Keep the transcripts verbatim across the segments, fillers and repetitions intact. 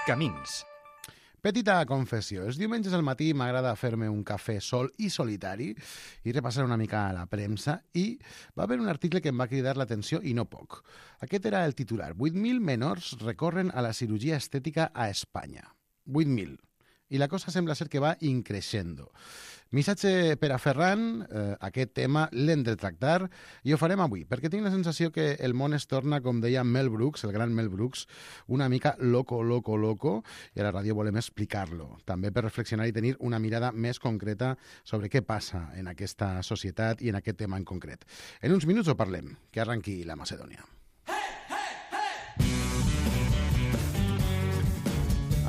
Camins. Petita confessió. Els diumenges al matí m'agrada fer-me un cafè sol i solitari i repassar una mica a la premsa i va haver un article que em va cridar l'atenció i no poc. Aquest era el titular. vuit mil menors recorren a la cirurgia estètica a Espanya. vuit mil. I la cosa sembla ser que va increixendo. Missatge per a Ferran, eh, aquest tema l'hem de tractar i ho farem avui, perquè tinc la sensació que el món es torna, com deia Mel Brooks, el gran Mel Brooks, una mica loco, loco, loco, i a la ràdio volem explicar-lo, també per reflexionar i tenir una mirada més concreta sobre què passa en aquesta societat i en aquest tema en concret. En uns minuts ho parlem, que arranqui la Macedònia.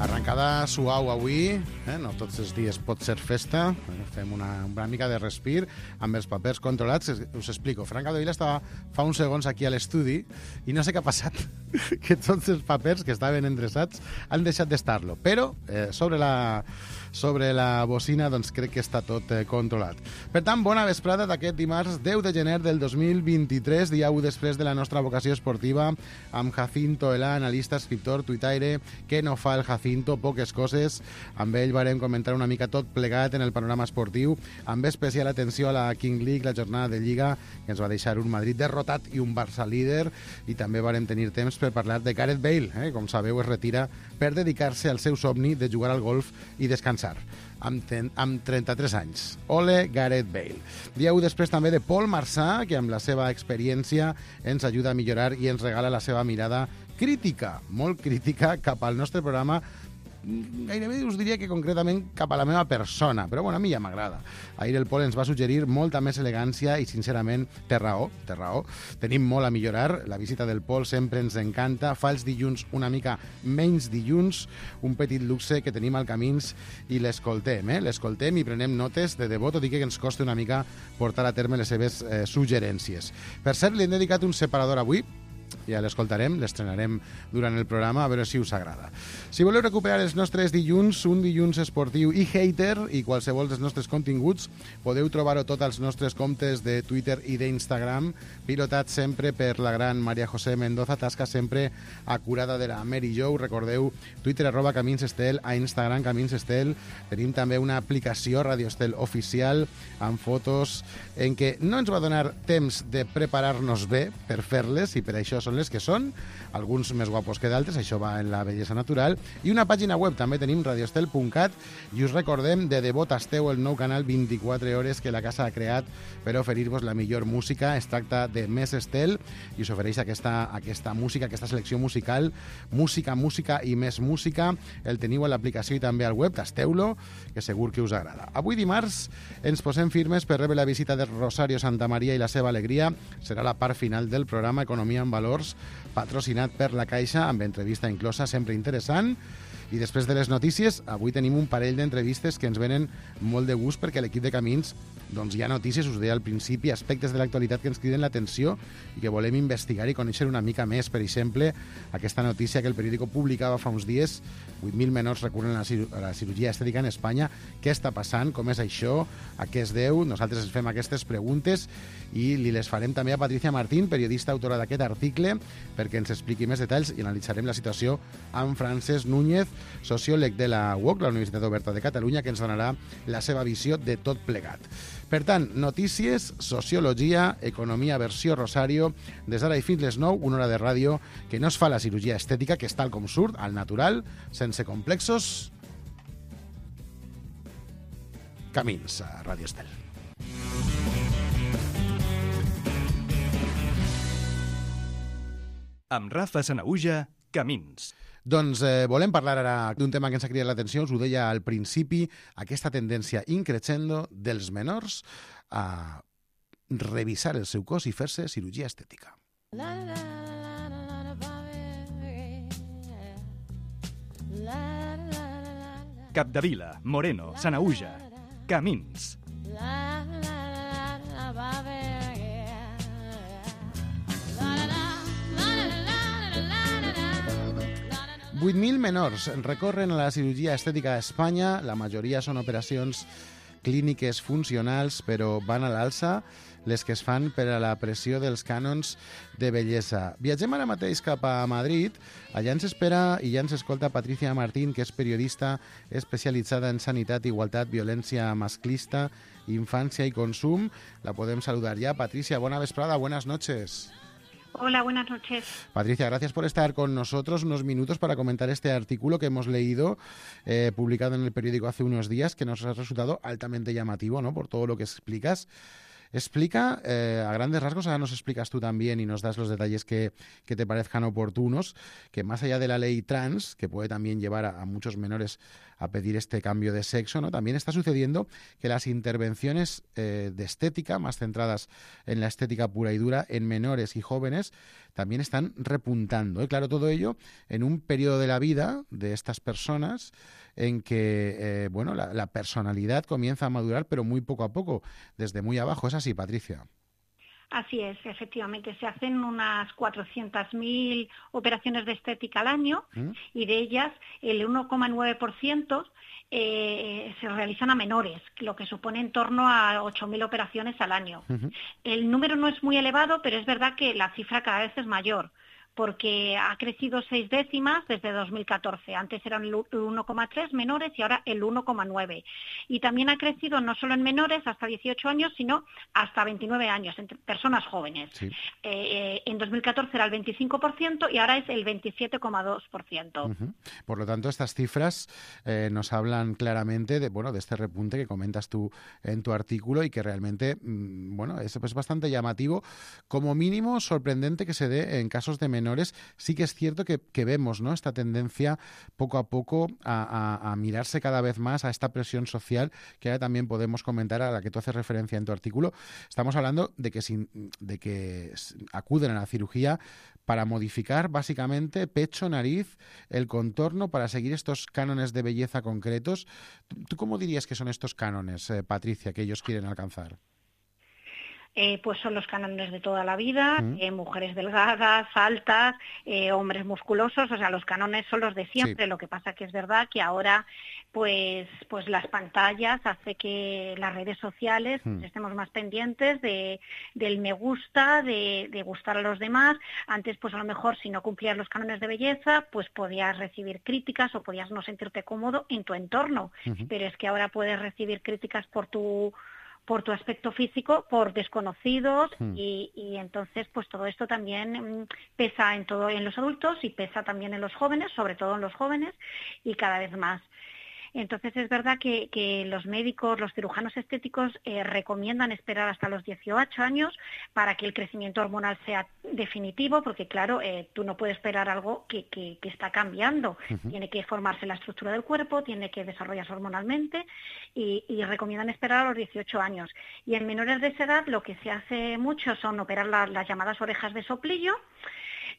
Arrencada suau avui, eh? No tots els dies pot ser festa, eh? Fem una, una mica de respir amb els papers controlats. Us explico, Fran Capdevila estava fa uns segons aquí a l'estudi i no sé què ha passat, que tots els papers que estaven endreçats han deixat d'estar-lo, però eh, sobre la... sobre la bocina, doncs crec que està tot eh, controlat. Per tant, bona vesprada d'aquest dimarts deu de gener del dos mil vint-i-tres, dia u després de la nostra vocació esportiva, amb Jacinto Elà, analista, escriptor, tuitaire, que no fa el Jacinto, poques coses. Amb ell varem comentar una mica tot plegat en el panorama esportiu, amb especial atenció a la King League, la jornada de Lliga, que ens va deixar un Madrid derrotat i un Barça líder, i també varem tenir temps per parlar de Gareth Bale, eh? Com sabeu, es retira per dedicar-se al seu somni de jugar al golf i descansar. Amb, ten, amb trenta-tres anys. Ole Gareth Bale. Dia u després també de Paul Marsà, que amb la seva experiència ens ajuda a millorar i ens regala la seva mirada crítica, molt crítica, cap al nostre programa. Gairebé us diria que concretament cap a la meva persona, però bueno, a mi ja m'agrada. Ahir el Pol ens va suggerir molta més elegància i sincerament té raó, té raó. Tenim molt a millorar, la visita del Pol sempre ens encanta, fa els dilluns una mica menys dilluns, un petit luxe que tenim al Camins i l'escoltem, eh? L'escoltem i prenem notes de debò, tot i que ens costa una mica portar a terme les seves eh, suggerències. Per cert, li hem dedicat un separador avui, ja l'escoltarem, l'estrenarem durant el programa, a veure si us agrada. Si voleu recuperar els nostres dilluns, un dilluns esportiu i hater, i qualsevol dels nostres continguts, podeu trobar-ho tot als nostres comptes de Twitter i d'Instagram, pilotat sempre per la gran Maria José Mendoza, tasca sempre acurada de la Mary Jo. Recordeu, Twitter arroba Camins Estel, a Instagram Camins Estel. Tenim també una aplicació Radio Estel oficial amb fotos en què no ens va donar temps de preparar-nos bé per fer-les, i per això són les que són, alguns més guapos que d'altres, això va en la bellesa natural, i una pàgina web, també tenim radioestel punt cat, i us recordem de debò tasteu el nou canal vint-i-quatre hores que la casa ha creat per oferir-vos la millor música. Es tracta de Més Estel i us ofereix aquesta, aquesta música, aquesta selecció musical, música, música i més música. El teniu a l'aplicació i també al web, tasteu-lo, que segur que us agrada. Avui dimarts ens posem firmes per rebre la visita de Rosario Santamaría i la seva alegria. Serà la part final del programa Economia en Valors, patrocinat per la Caixa, amb entrevista inclosa, sempre interessant. I després de les notícies, avui tenim un parell d'entrevistes que ens venen molt de gust, perquè l'equip de Camins doncs hi ha notícies, us deia al principi, aspectes de l'actualitat que ens criden l'atenció i que volem investigar i conèixer una mica més. Per exemple, aquesta notícia que el periòdico publicava fa uns dies, vuit mil menors recurren a la, cir a la cirurgia estètica en Espanya. Què està passant? Com és això? A què es deu? Nosaltres ens fem aquestes preguntes i li les farem també a Patricia Martín, periodista autora d'aquest article, perquè ens expliqui més detalls, i analitzarem la situació amb Francesc Núñez, sociòleg de la U O C, la Universitat Oberta de Catalunya, que ens donarà la seva visió de tot plegat. Per tant, notícies, sociologia, economia versió Rosario, des d'ara i fins les nou, una hora de ràdio que no es fa la cirurgia estètica, que és tal com surt, al natural, sense complexos. Camins a Ràdio Estel. Amb Rafa Sanahuja, Camins. Doncs eh, volem parlar ara d'un tema que ens ha cridat l'atenció, us ho deia al principi, aquesta tendència increixendo dels menors a revisar el seu cos i fer-se cirurgia estètica. Capdevila, Moreno, Sanahuja, Camins. vuit mil menors recorren a la cirurgia estètica a Espanya. La majoria són operacions clíniques funcionals, però van a l'alça. les que es fan per a la pressió dels cànons de bellesa. Viatgem ara mateix cap a Madrid. Allà ens espera i ja ens escolta Patricia Martín, que és periodista especialitzada en sanitat, igualtat, violència masclista, infància i consum. La podem saludar ya. Patricia, buena vesprada, buenas noches. Hola, buenas noches. Patricia, gracias por estar con nosotros unos minutos para comentar este artículo que hemos leído, eh, publicado en el periódico hace unos días, que nos ha resultado altamente llamativo, ¿no?, por todo lo que explicas. Explica, eh, a grandes rasgos, ahora nos explicas tú también y nos das los detalles que, que te parezcan oportunos, que más allá de la ley trans, que puede también llevar a, a muchos menores a pedir este cambio de sexo, ¿no?, también está sucediendo que las intervenciones eh, de estética, más centradas en la estética pura y dura, en menores y jóvenes, también están repuntando. ¿eh? Claro, todo ello en un periodo de la vida de estas personas en que eh, bueno, la, la personalidad comienza a madurar, pero muy poco a poco, desde muy abajo. ¿Es así, Patricia? Así es, efectivamente. Se hacen unas cuatrocientas mil operaciones de estética al año ¿Mm? y de ellas el uno coma nueve por ciento eh, se realizan a menores, lo que supone en torno a ocho mil operaciones al año. Uh-huh. El número no es muy elevado, pero es verdad que la cifra cada vez es mayor, porque ha crecido seis décimas desde dos mil catorce. Antes eran el uno coma tres menores y ahora el uno coma nueve. Y también ha crecido no solo en menores hasta dieciocho años, sino hasta veintinueve años, entre personas jóvenes. Sí. Eh, en dos mil catorce era el veinticinco por ciento y ahora es el veintisiete coma dos por ciento. Uh-huh. Por lo tanto, estas cifras eh, nos hablan claramente de, bueno, de este repunte que comentas tú en tu artículo y que realmente mmm, bueno, es, es bastante llamativo, como mínimo sorprendente que se dé en casos de menores. Sí que es cierto que, que vemos, ¿no?, esta tendencia poco a poco a, a, a mirarse cada vez más a esta presión social que ahora también podemos comentar, a la que tú haces referencia en tu artículo. Estamos hablando de que, sin, de que acuden a la cirugía para modificar básicamente pecho, nariz, el contorno, para seguir estos cánones de belleza concretos. ¿Tú cómo dirías que son estos cánones, eh, Patricia, que ellos quieren alcanzar? Eh, pues son los cánones de toda la vida, ¿Mm? eh, mujeres delgadas, altas, eh, hombres musculosos, o sea, los cánones son los de siempre. Sí. Lo que pasa que es verdad que ahora pues pues las pantallas hace que las redes sociales ¿Mm? estemos más pendientes de del me gusta, de, de gustar a los demás. Antes pues a lo mejor si no cumplías los cánones de belleza pues podías recibir críticas o podías no sentirte cómodo en tu entorno, uh-huh. pero es que ahora puedes recibir críticas por tu por tu aspecto físico, por desconocidos hmm. y, y entonces pues todo esto también pesa en todo en los adultos y pesa también en los jóvenes, sobre todo en los jóvenes y cada vez más. Entonces es verdad que, que los médicos, los cirujanos estéticos eh, recomiendan esperar hasta los dieciocho años para que el crecimiento hormonal sea definitivo, porque claro, eh, tú no puedes esperar algo que, que, que está cambiando. Uh-huh. Tiene que formarse la estructura del cuerpo, tiene que desarrollarse hormonalmente y, y recomiendan esperar a los dieciocho años. Y en menores de esa edad lo que se hace mucho son operar la, las llamadas orejas de soplillo.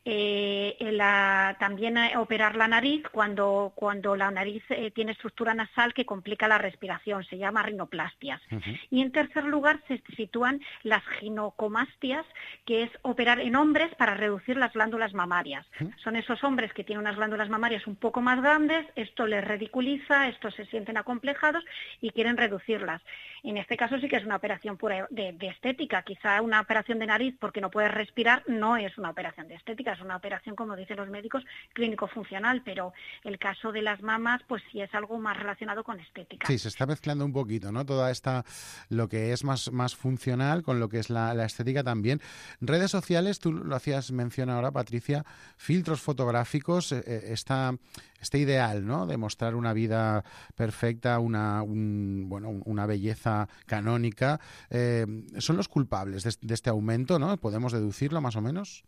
Eh, la, también operar la nariz cuando, cuando la nariz eh, tiene estructura nasal que complica la respiración, se llama rinoplastias. Uh-huh. Y en tercer lugar se sitúan las ginecomastias, que es operar en hombres para reducir las glándulas mamarias. Uh-huh. Son esos hombres que tienen unas glándulas mamarias un poco más grandes, esto les ridiculiza, estos se sienten acomplejados y quieren reducirlas. En este caso sí que es una operación pura de, de estética, quizá una operación de nariz porque no puedes respirar no es una operación de estética, es una operación, como dicen los médicos, clínico-funcional, pero el caso de las mamas, pues sí es algo más relacionado con estética. Sí, se está mezclando un poquito, ¿no? Toda esta, lo que es más, más funcional con lo que es la, la estética también. Redes sociales, tú lo hacías mención ahora, Patricia, filtros fotográficos, eh, esta, este ideal, ¿no?, de mostrar una vida perfecta, una, un, bueno, una belleza canónica, eh, ¿son los culpables de, de este aumento, ¿no? ¿Podemos deducirlo más o menos?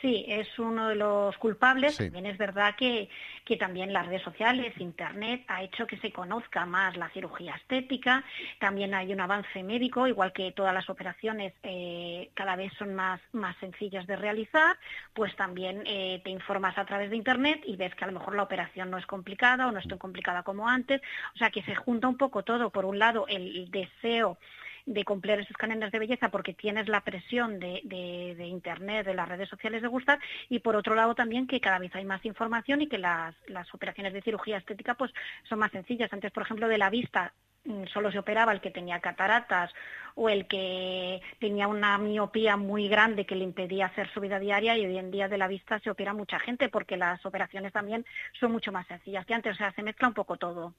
Sí, es uno de los culpables. Sí. También es verdad que, que también las redes sociales, Internet, ha hecho que se conozca más la cirugía estética. También hay un avance médico, igual que todas las operaciones eh, cada vez son más, más sencillas de realizar, pues también eh, te informas a través de Internet y ves que a lo mejor la operación no es complicada o no es tan complicada como antes. O sea, que se junta un poco todo. Por un lado, el deseo de cumplir esos cánones de belleza porque tienes la presión de, de, de Internet, de las redes sociales de gustar, y por otro lado también que cada vez hay más información y que las, las operaciones de cirugía estética pues son más sencillas. Antes, por ejemplo, de la vista solo se operaba el que tenía cataratas o el que tenía una miopía muy grande que le impedía hacer su vida diaria, y hoy en día de la vista se opera mucha gente porque las operaciones también son mucho más sencillas que antes, o sea, se mezcla un poco todo.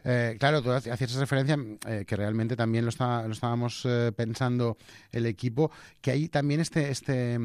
Eh, claro, tú hacías referencia eh, que realmente también lo, está, lo estábamos eh, pensando el equipo, que hay también este, este,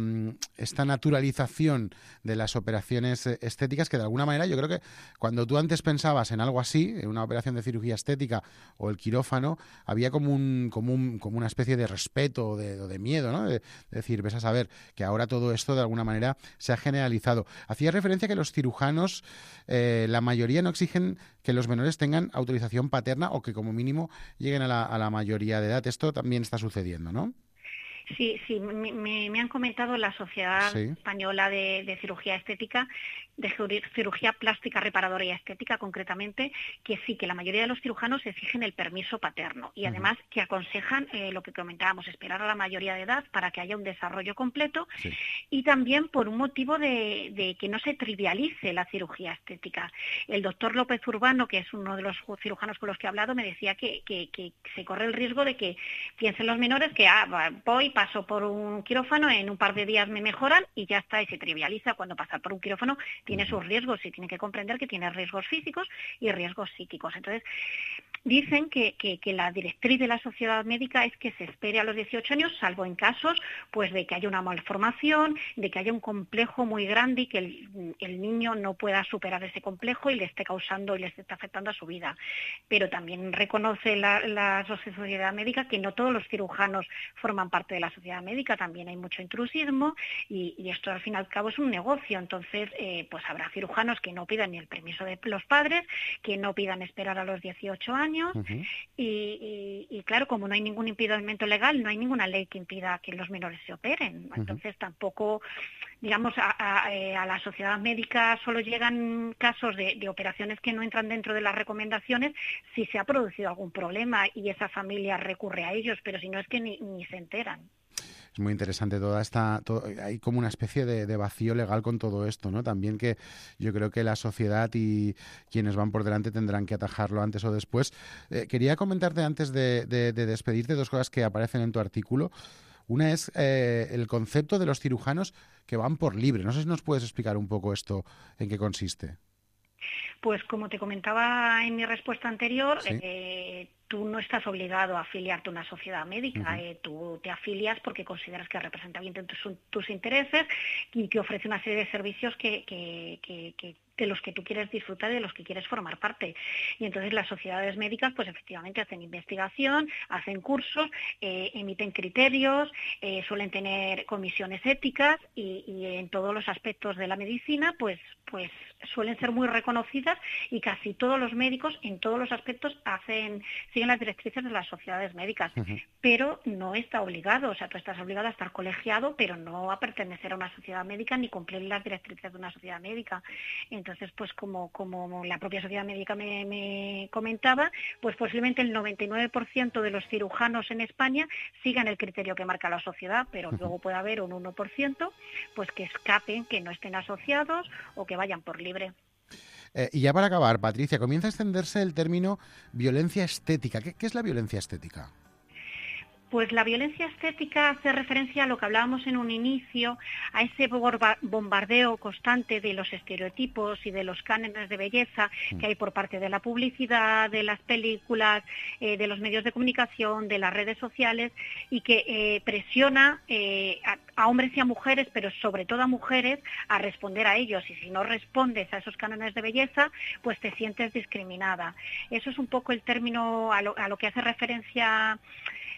esta naturalización de las operaciones estéticas que de alguna manera yo creo que cuando tú antes pensabas en algo así, en una operación de cirugía estética o el quirófano, había como un, como un, como una especie de respeto o de, de miedo, ¿no? De, de decir, ves a saber que ahora todo esto de alguna manera se ha generalizado. Hacías referencia que los cirujanos, eh, la mayoría no exigen que los menores tengan autorización paterna o que como mínimo lleguen a la, a la mayoría de edad. Esto también está sucediendo, ¿no? Sí, sí, me, me, me han comentado la Sociedad sí. Española de, de Cirugía Estética, de Cirugía Plástica Reparadora y Estética concretamente, que sí, que la mayoría de los cirujanos exigen el permiso paterno y además uh-huh. que aconsejan eh, lo que comentábamos, esperar a la mayoría de edad para que haya un desarrollo completo sí. y también por un motivo de, de que no se trivialice la cirugía estética. El doctor López Urbano, que es uno de los cirujanos con los que he hablado, me decía que, que, que se corre el riesgo de que piensen los menores que ah, voy, paso por un quirófano, en un par de días me mejoran y ya está, y se trivializa cuando pasar por un quirófano tiene sus riesgos y tiene que comprender que tiene riesgos físicos y riesgos psíquicos. Entonces, dicen que, que, que la directriz de la sociedad médica es que se espere a los dieciocho años, salvo en casos pues de que haya una malformación, de que haya un complejo muy grande y que el, el niño no pueda superar ese complejo y le esté causando y le esté afectando a su vida. Pero también reconoce la, la sociedad médica que no todos los cirujanos forman parte de la sociedad médica, también hay mucho intrusismo y, y esto al fin y al cabo es un negocio. Entonces, eh, pues habrá cirujanos que no pidan ni el permiso de los padres, que no pidan esperar a los dieciocho años uh-huh. y, y, y claro, como no hay ningún impedimento legal, no hay ninguna ley que impida que los menores se operen. Entonces uh-huh. tampoco, digamos, a, a, a la sociedad médica solo llegan casos de, de operaciones que no entran dentro de las recomendaciones si se ha producido algún problema y esa familia recurre a ellos, pero si no es que ni, ni se enteran. Es muy interesante toda esta... Todo, hay como una especie de, de vacío legal con todo esto, ¿no? También que yo creo que la sociedad y quienes van por delante tendrán que atajarlo antes o después. Eh, quería comentarte antes de, de, de despedirte dos cosas que aparecen en tu artículo. Una es eh, el concepto de los cirujanos que van por libre. No sé si nos puedes explicar un poco esto, en qué consiste. Pues como te comentaba en mi respuesta anterior, ¿sí? eh, tú no estás obligado a afiliarte a una sociedad médica, uh-huh. eh, tú te afilias porque consideras que representa bien tus, tus intereses y que ofrece una serie de servicios que, que, que, que de los que tú quieres disfrutar y de los que quieres formar parte. Y entonces las sociedades médicas pues efectivamente hacen investigación, hacen cursos, eh, emiten criterios, eh, suelen tener comisiones éticas y, y en todos los aspectos de la medicina pues, pues suelen ser muy reconocidas y casi todos los médicos en todos los aspectos hacen siguen las directrices de las sociedades médicas, uh-huh. pero no está obligado, o sea, tú estás obligado a estar colegiado, pero no a pertenecer a una sociedad médica ni cumplir las directrices de una sociedad médica. Entonces, pues como, como la propia sociedad médica me, me comentaba, pues posiblemente el noventa y nueve por ciento de los cirujanos en España sigan el criterio que marca la sociedad, pero uh-huh. luego puede haber un uno por ciento pues que escapen, que no estén asociados o que vayan por libre. Eh, y ya para acabar, Patricia, comienza a extenderse el término violencia estética. ¿Qué, qué es la violencia estética? Pues la violencia estética hace referencia a lo que hablábamos en un inicio, a ese bombardeo constante de los estereotipos y de los cánones de belleza que hay por parte de la publicidad, de las películas, eh, de los medios de comunicación, de las redes sociales y que eh, presiona eh, a, a hombres y a mujeres, pero sobre todo a mujeres, a responder a ellos. Y si no respondes a esos cánones de belleza, pues te sientes discriminada. Eso es un poco el término a lo, a lo que hace referencia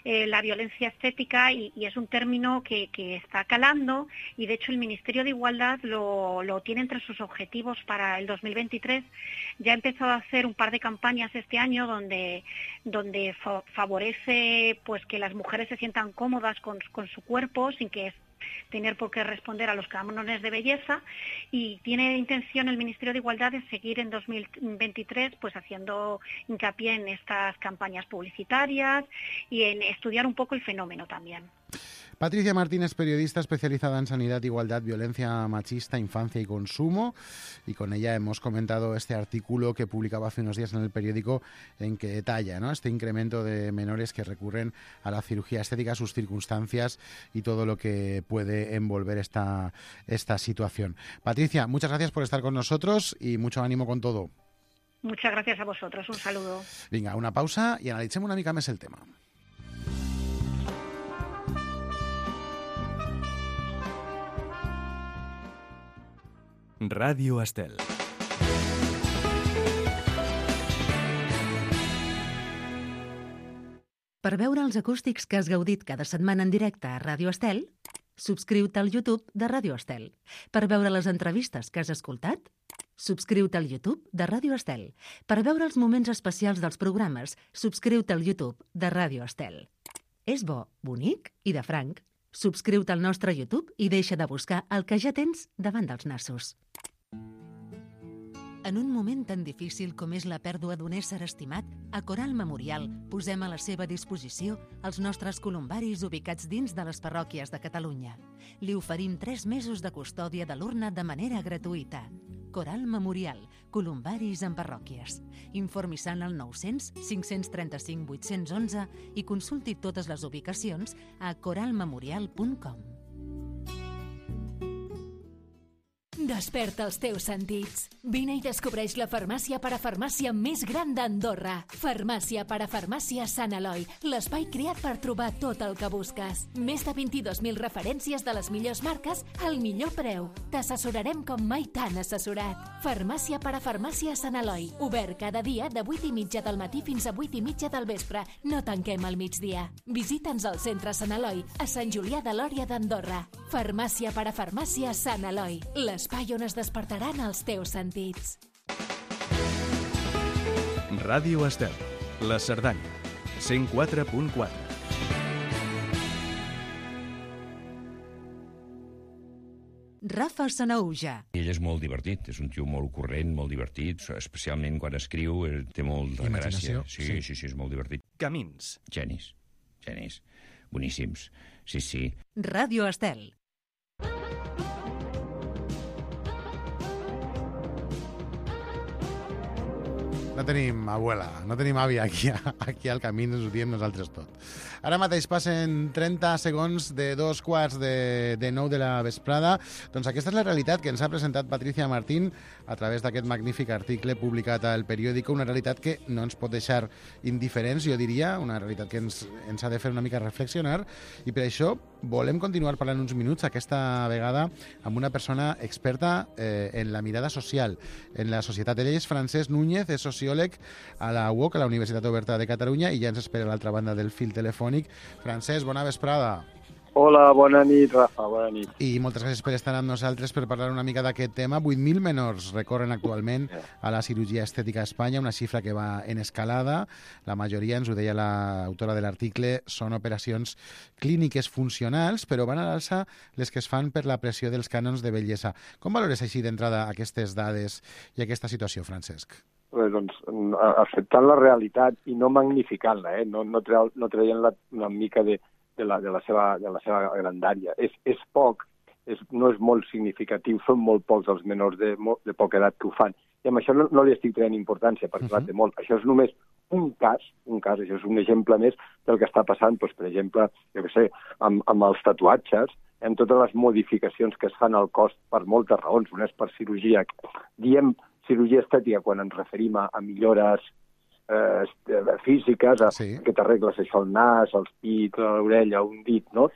Eh, la violencia estética y, y es un término que, que está calando y de hecho el Ministerio de Igualdad lo, lo tiene entre sus objetivos para el dos mil veintitrés. Ya ha empezado a hacer un par de campañas este año donde, donde fa- favorece pues que las mujeres se sientan cómodas con, con su cuerpo sin que tener por qué responder a los cánones de belleza y tiene intención el Ministerio de Igualdad de seguir en dos mil veintitrés pues haciendo hincapié en estas campañas publicitarias y en estudiar un poco el fenómeno también. Patricia Martín es periodista especializada en sanidad, igualdad, violencia machista, infancia y consumo, y con ella hemos comentado este artículo que publicaba hace unos días en el periódico en que detalla, ¿no?, este incremento de menores que recurren a la cirugía estética, sus circunstancias y todo lo que puede envolver esta, esta situación. Patricia, muchas gracias por estar con nosotros y mucho ánimo con todo. Muchas gracias a vosotros, un saludo. Vinga, una pausa i analitzem una mica més el tema. Ràdio Estel. Per veure els acústics que has gaudit cada setmana en directe a Ràdio Estel, subscriu-te al YouTube de Ràdio Estel. Per veure les entrevistes que has escoltat, subscriu-te al YouTube de Ràdio Estel. Per veure els moments especials dels programes, subscriu-te al YouTube de Ràdio Estel. És bo, bonic i de franc. Subscriu-te al nostre YouTube i deixa de buscar el que ja tens davant dels nassos. En un moment tan difícil com és la pèrdua d'un ésser estimat, a Coral Memorial posem a la seva disposició els nostres columbaris ubicats dins de les parròquies de Catalunya. Li oferim tres mesos de custòdia de l'urna de manera gratuïta. Coral Memorial, columbaris en parròquies. Informi-se'n al nou-cents cinc-cents trenta-cinc vuit-cents onze i consulti totes les ubicacions a coral memorial punt com. Desperta els teus sentits. Vine i descobreix la farmàcia parafarmàcia més gran d'Andorra. Farmàcia parafarmàcia Sant Eloi, l'espai creat per trobar tot el que busques. Més de vint-i-dos mil referències de les millors marques al millor preu. T'assessorarem com mai t'han assessorat. Farmàcia parafarmàcia Sant Eloi, obert cada dia de vuit i mitja del matí fins a vuit i mitja del vespre. No tanquem al migdia. Visita'ns al centre Sant Eloi, a Sant Julià de Lòria d'Andorra. Farmàcia parafarmàcia Sant Eloi, l'espai on es despertaran els teus sentits. Ràdio Estel, la Cerdanya, cent quatre punt quatre. Rafa Sanahuja. Ell és molt divertit, és un tio molt corrent, molt divertit, especialment quan escriu, té molt de gràcia. Sí, sí, sí, sí, és molt divertit. Camins. Genis, genis, boníssims, sí, sí. Ràdio Estel. No tenim abuela, no tenim àvia aquí, aquí al camí, ens ho diem nosaltres tot. Ara mateix passen trenta segons de dos quarts de, de nou de la vesprada. Doncs aquesta és la realitat que ens ha presentat Patricia Martín a través d'aquest magnífic article publicat al periòdico, una realitat que no ens pot deixar indiferents, jo diria, una realitat que ens, ens ha de fer una mica reflexionar, i per això volem continuar parlant uns minuts, aquesta vegada amb una persona experta eh, en la mirada social, en la societat. Ell és Francesc Núñez, és sociòleg a la U O C, a la Universitat Oberta de Catalunya, i ja ens espera a l'altra banda del fil telefònic. Francesc, bona vesprada. Hola, bona nit, Rafa, bona nit. I moltes gràcies per estar amb nosaltres per parlar una mica d'aquest tema. vuit mil menors recorren actualment a la cirurgia estètica a Espanya, una xifra que va en escalada. La majoria, ens ho deia l'autora de l'article, són operacions clíniques funcionals, però van a l'alça les que es fan per la pressió dels cànons de bellesa. Com valores així d'entrada aquestes dades i aquesta situació, Francesc? Pues, doncs, acceptant la realitat i no magnificant-la, eh? no, no, treu, no traient-la una mica de, de, la, de, la seva, de la seva grandària. És, és poc, és, no és molt significatiu, són molt pocs els menors de, de poca edat que ho fan. I amb això no, no li estic traient importància, perquè uh-huh. té molt. Això és només un cas, un cas, això és un exemple més del que està passant, doncs, per exemple, jo què sé, amb, amb els tatuatges, amb totes les modificacions que es fan al cos per moltes raons. Una és per cirurgia. Diem cirurgia estètica quan ens referim a, a millores eh, físiques, a sí. que t'arregles això al nas, als pits, a l'orella, un dit, no?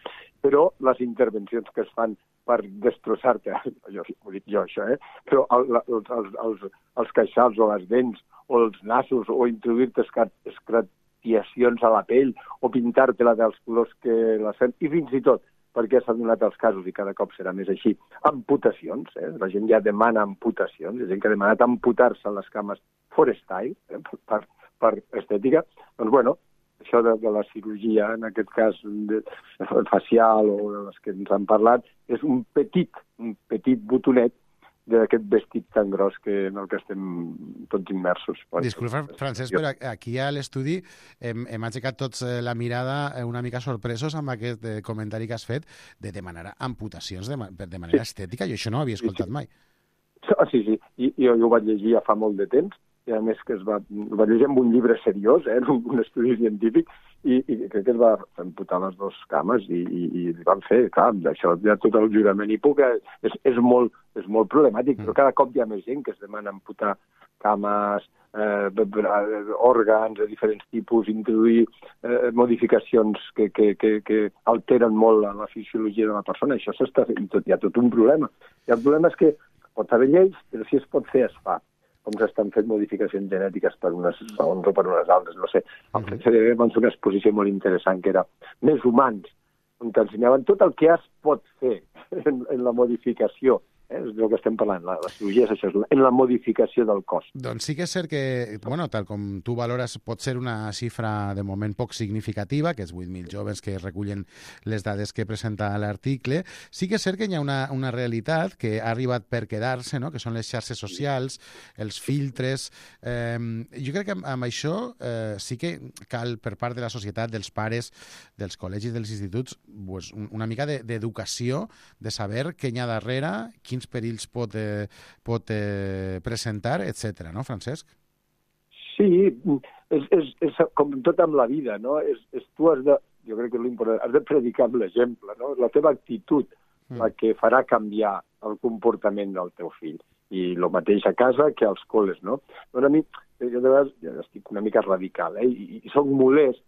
Però les intervencions que es fan per destrossar-te, jo ho dic jo això, eh? Però el, els, els, els, els queixals o les dents o els nassos o introduir-te escratiacions a la pell o pintar-te-la dels colors que la fem, i fins i tot, perquè s'han donat els casos i cada cop serà més així, amputacions, eh? La gent ja demana amputacions, hi ha gent que ha demanat amputar-se les cames forestal, eh? per, per estètica, doncs bueno, això de, de la cirurgia, en aquest cas de, de facial o de les que ens han parlat, és un petit, un petit botonet d'aquest vestit tan gros que, en el que estem tots immersos. Disculpa, Francesc, però aquí a l'estudi hem, hem aixecat tots la mirada una mica sorpresos amb aquest comentari que has fet de demanar amputacions de, de manera estètica. Jo això no ho havia escoltat sí, sí. mai. Sí, sí, I, jo, jo ho vaig llegir ja fa molt de temps, i a més que es va, ho va llegir amb un llibre seriós, eh, un, un estudi científic, i, i crec que es va amputar les dues cames i, i, i van fer, clar, d'això ja tot el jurament hipòcrita és, és, molt, és molt problemàtic, mm. però cada cop hi ha més gent que es demana amputar cames, eh, òrgans de diferents tipus, introduir eh, modificacions que, que, que, que alteren molt la, la fisiologia de la persona. Això s'està fent, tot, hi ha tot un problema. I el problema és que pot haver lleis, però si es pot fer, es fa. Com s'estan fent modificacions genètiques per unes raons o per unes altres, no sé. Al F C D B van fer una exposició molt interessant que era Més humans, on t'ensenyaven tot el que es pot fer en, en la modificació. Eh? És del que estem parlant, la, la cirurgia és això, en la modificació del cos. Doncs sí que és cert que, bueno, tal com tu valores, pot ser una xifra de moment poc significativa, que és vuit mil joves que recullen les dades que presenta l'article. Sí que és cert que hi ha una, una realitat que ha arribat per quedar-se, no? Que són les xarxes socials, els filtres. Eh, jo crec que amb, amb això eh, sí que cal, per part de la societat, dels pares, dels col·legis, dels instituts, pues, una mica d'educació, de saber què hi ha darrere, quins perills pot, eh, pot eh, presentar, etcètera, no, Francesc? Sí, és, és, és com tot amb la vida, no? És, és tu has de, jo crec que és l'important, has de predicar amb l'exemple, no? La teva actitud mm. la que farà canviar el comportament del teu fill. I el mateix a casa que als col·les, no? Però a mi, jo de vegades ja estic una mica radical, eh? I, i soc molest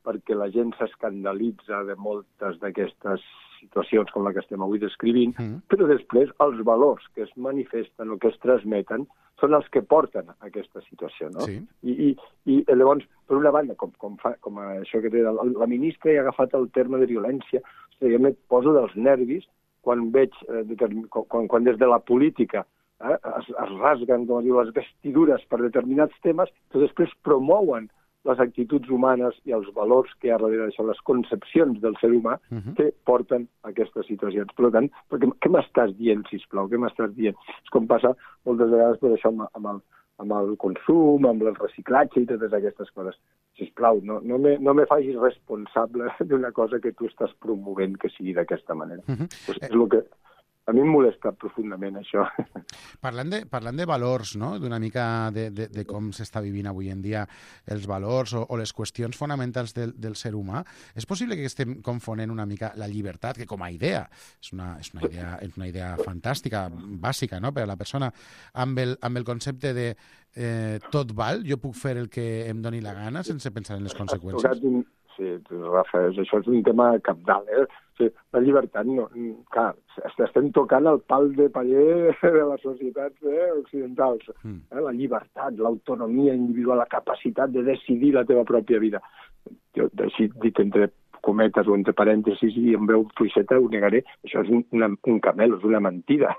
perquè la gent s'escandalitza de moltes d'aquestes situacions com la que estem avui descrivint, mm. però després els valors que es manifesten o que es transmeten són els que porten a aquesta situació, no? Sí. I, i, I llavors, per una banda, com, com, fa, com això que té la, la ministra ha agafat el terme de violència, o sigui, jo em poso dels nervis quan veig, eh, quan, quan des de la política eh, es, es rasguen, com diu, les vestidures per determinats temes, però després promouen les actituds humanes i els valors que hi ha darrere d'això, les concepcions del ser humà uh-huh. que porten a aquestes situacions. Per tant, perquè, què m'estàs dient, sisplau? Què m'estàs dient? És com passa moltes vegades per això amb, amb, el, amb el consum, amb el reciclatge i totes aquestes coses. Sisplau, no, no, me, no me facis responsable d'una cosa que tu estàs promovent que sigui d'aquesta manera. Uh-huh. Pues és el que... A mi em molesta profundament això. Parlant de, parlant de valors, no? D'una mica de, de, de com s'està vivint avui en dia els valors o, o les qüestions fonamentals del, del ser humà, és possible que estem confonent una mica la llibertat, que com a idea és una, és una, idea, és una idea fantàstica, bàsica, no? Per a la persona, amb el, amb el concepte de eh, tot val, jo puc fer el que em doni la gana sense pensar en les conseqüències. Sí, Rafa, això és un tema cabdal, eh? O sigui, la llibertat, no, clar, estem tocant el pal de paller de les societats eh, occidentals. Mm. Eh? La llibertat, l'autonomia individual, la capacitat de decidir la teva pròpia vida. Jo, així dit entre cometes o entre parèntesis i en veu fluixeta ho negaré, això és un, una, un camel, és una mentida,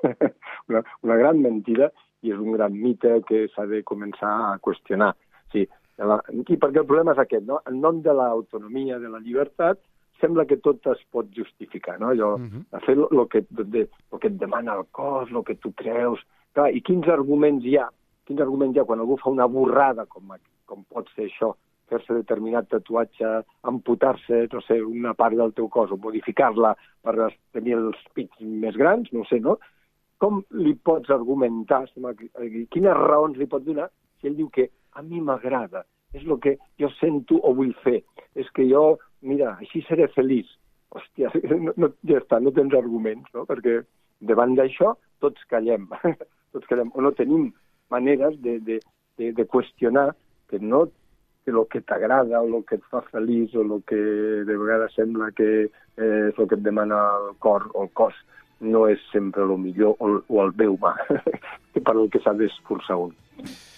una, una gran mentida i és un gran mite que s'ha de començar a qüestionar. Sí, la, i perquè el problema és aquest, no? En nom de l'autonomia, de la llibertat, sembla que tot es pot justificar, no? Allò, uh-huh. fer el que, de, lo que et demana el cos, el que tu creus... Clar, i quins arguments hi ha? Quins arguments hi ha quan algú fa una borrada, com, com pot ser això, fer-se determinat tatuatge, amputar-se, no sé, una part del teu cos, o modificar-la per tenir els pits més grans, no sé, no? Com li pots argumentar, quines raons li pots donar, si ell diu que a mi m'agrada, és el que jo sento o vull fer, és que jo, mira, així seré feliç. Hòstia, no, no, ja està, no tens arguments, no? Perquè davant d'això tots callem, tots callem, o no tenim maneres de, de, de, de qüestionar que no que el que t'agrada o el que et fa feliç o el que de vegades sembla que eh, és el que et demana el cor o el cos no és sempre el millor o, o el bé humà per el que s'ha d'esforçar un.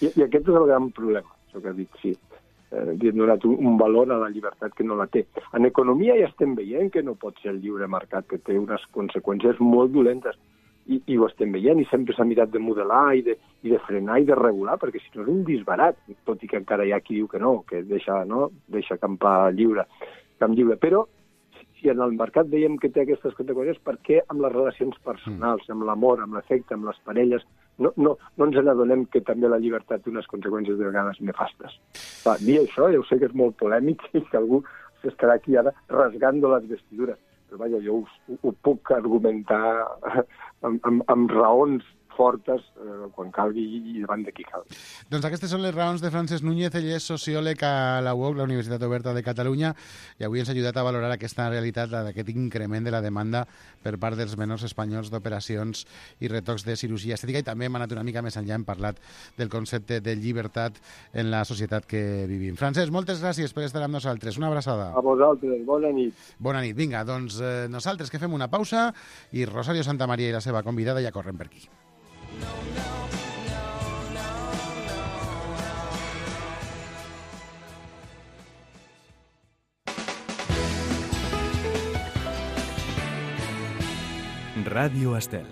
I, I aquest és el gran problema, això que ha dit, sí. Eh, li hem donat un, un valor a la llibertat que no la té. En economia ja estem veient que no pot ser el lliure mercat, que té unes conseqüències molt dolentes. I, i ho estem veient, i sempre s'ha mirat de modelar i de, i de frenar i de regular, perquè si no és un disbarat, tot i que encara hi ha qui diu que no, que deixa, no, deixa campar lliure, camp lliure. Però si en el mercat veiem que té aquestes conseqüències, per què amb les relacions personals, amb l'amor, amb l'afecte, amb les parelles, no, no, no ens n'adonem que també la llibertat té unes conseqüències de vegades nefastes. Va, dir això, ja ho sé que és molt polèmic i que algú s'estarà aquí ara rasgando les vestidures, però vaja, jo ho, ho puc argumentar amb, amb, amb raons fortes eh, quan calgui i davant de qui calgui. Doncs aquestes són les raons de Francesc Núñez, ell és sociòleg a la U O C, la Universitat Oberta de Catalunya, i avui ens ha ajudat a valorar aquesta realitat d'aquest increment de la demanda per part dels menors espanyols d'operacions i retocs de cirurgia estètica, i també hem anat una mica més enllà, hem parlat del concepte de llibertat en la societat que vivim. Francesc, moltes gràcies per estar amb nosaltres. Una abraçada. A vosaltres, bona nit. Bona nit. Vinga, doncs eh, nosaltres que fem una pausa i Rosario Santamaría i la seva convidada ja corren per aquí. Ràdio Estel.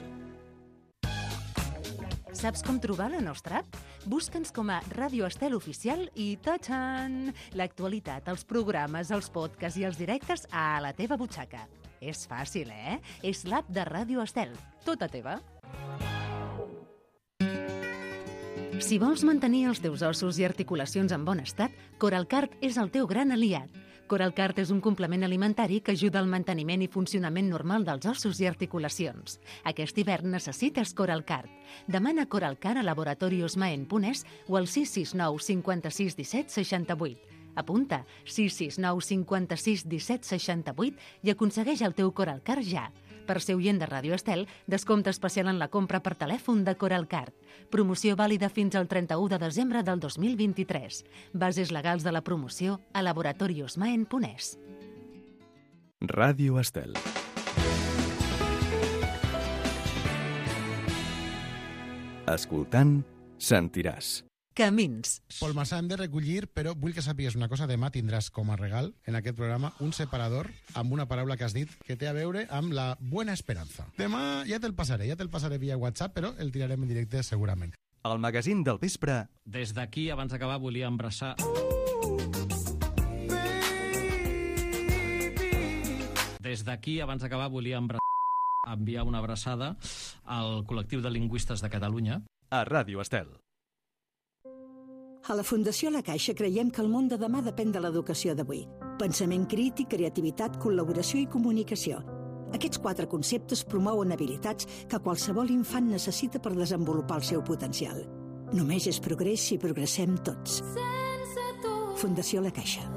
Saps com trobar la nostra app? Busca'ns com a Ràdio Estel Oficial i ta-txan! L'actualitat, els programes, els podcasts i els directes a la teva butxaca. És fàcil, eh? És l'app de Ràdio Estel. Tota teva. Si vols mantenir els teus ossos i articulacions en bon estat, Coralcart és el teu gran aliat. Coralcart és un complement alimentari que ajuda al manteniment i funcionament normal dels ossos i articulacions. Aquest hivern necessites Coralcart. Demana Coralcart a Laboratorios Maen Punès o al sis sis nou cinquanta-sis disset seixanta-vuit. Apunta sis sis nou cinquanta-sis disset seixanta-vuit i aconsegueix el teu Coralcart ja. Per ser oient de Ràdio Estel, descompte especial en la compra per telèfon de Coralcart. Promoció vàlida fins al trenta-u de desembre del dos mil vint-i-tres. Bases legals de la promoció a Laboratorios Maen Punès. Ràdio Estel. Escoltant, sentiràs. Camins. Pol Massà, hem de recollir, però vull que sàpigues una cosa. Demà tindràs com a regal en aquest programa un separador amb una paraula que has dit que té a veure amb la buena esperanza. Demà ja te'l passaré, ja te'l passaré via WhatsApp, però el tirarem en directe segurament. El magazín del vespre. Des d'aquí, abans d'acabar, volia embraçar... Des d'aquí, abans d'acabar, volia embraçar... enviar una abraçada al col·lectiu de lingüistes de Catalunya. A Ràdio Estel. A la Fundació La Caixa creiem que el món de demà depèn de l'educació d'avui. Pensament crític, creativitat, col·laboració i comunicació. Aquests quatre conceptes promouen habilitats que qualsevol infant necessita per desenvolupar el seu potencial. Només és progrés si progressem tots. Fundació La Caixa.